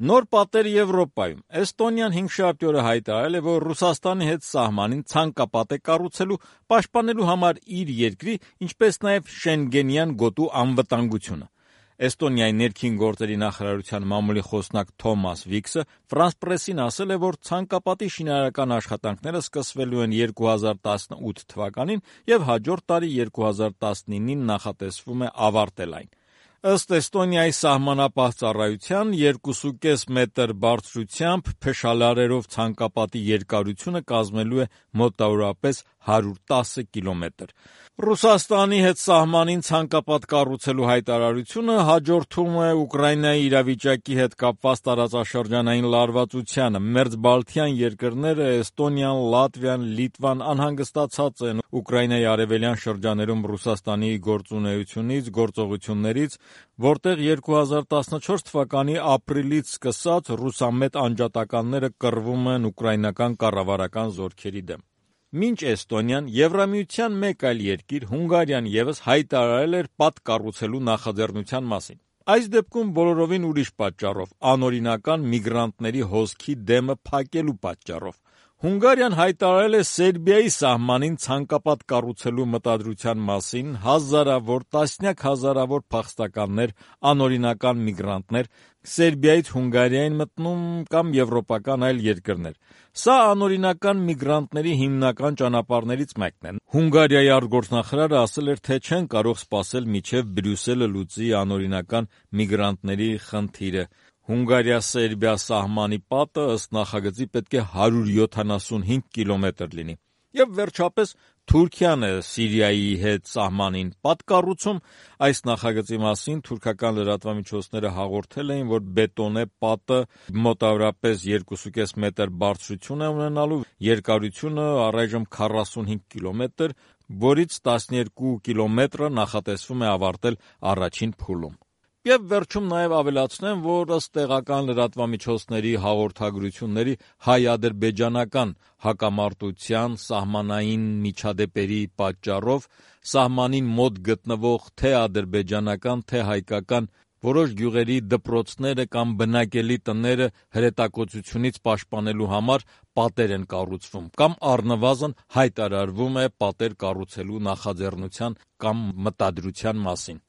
Նոր պատեր Եվրոպայում։ Էստոնիան 500 օրը հայտարարել է, որ Ռուսաստանի հետ սահմանին ցանկապատ է կառուցելու, պաշտպանելու համար իր երկրի, ինչպես նաև Շենգենյան գոտու անվտանգությունը։ Էստոնիայի ներքին գործերի նախարարության մամուլի խոսնակ Թոմաս Վիքսը Ֆրանս Պրեսին ասել է, որ ցանկապատի շինարարական աշխատանքները սկսվելու են 2018 թվականին և հաջորդ տարի 2019-ին նախատեսվում է ավարտել այն։ Ըստ Էստոնիայի սահմանապահ ծառայության 2.5 մետր բարձրությամբ փշալարերով ցանկապատի երկարությունը կազմելու է մոտավորապես 110 կիլոմետր։ Ռուսաստանի հետ սահմանին ցանկապատ կառուցելու հայտարարությունը հաջորդում է Ուկրաինայի իրավիճակի հետ կապված տարածաշրջանային լարվածությանը։ Մերձբալթյան երկրները Էստոնիան, Լատվիան, Լիտվան անհանգստացած են Ուկրաինայի արևելյան շրջաներում Ռուսաստանի գործունեությունից, գործողություններից, որտեղ 2014 թվականի ապրիլից սկսած ռուսամետ անջատականները կռվում են ուկրաինական կառավարական զորքերի դեմ։ Մինչ Էստոնիան, Եվրամիության մեկ այլ երկիր՝ Հունգարիան ևս հայտարարել էր պատ կառուցելու նախաձեռնության մասին։ Այս դեպքում բոլորովին ուրիշ պատճառով՝ անօրինական միգրանտների հոսքի դեմը փակելու պատճառով։ Հունգարիան հայտարարել է Սերբիայի սահմանին ցանկապատ կառուցելու մտադրության մասին, տասնյակ հազարավոր փախստականներ, անօրինական միգրանտներ Սերբիայից Հունգարիա են մտնում կամ եվրոպական այլ երկրներ։ Սա անօրինական միգրանտների հիմնական ճանապարհներից մեկն է։ Հունգարիայի արտգործնախարարը ասել էր, թե չեն կարող սպասել մինչև Բրյուսելը լուծի անօրինական միգրանտների խնդիրը։ Հունգարիա-Սերբիա սահմանի պատը ըստ նախագծի պետք է 175 կիլոմետր լինի։ Եվ վերջապես Թուրքիան է Սիրիայի հետ սահմանին պատ կառուցում։ Այս նախագծի մասին թուրքական լրատվամիջոցները հաղորդել էին, որ բետոնե պատը մոտավորապես 2.5 մետր բարձրություն է ունենալու, երկարությունը առայժմ 45 կիլոմետր, որից 12 կիլոմետրը նախատեսվում է ավարտել առաջին փուլում։ Եվ վերջում նաև ավելացնեմ, որ ըստ տեղական լրատվամիջոցների հաղորդագրությունների հայ-ադրբեջանական հակամարտության սահմանային միջադեպերի պատճառով սահմանին մոտ գտնվող թե ադրբեջանական, թե հայկական որոշ գյուղերի դպրոցները կամ բնակելի տները հրետակոծությունից պաշտպանելու համար պատեր են կառուցվում կամ առնվազն հայտարարվում է պատեր կառուցելու նախաձեռնության կամ մտադրության մասին։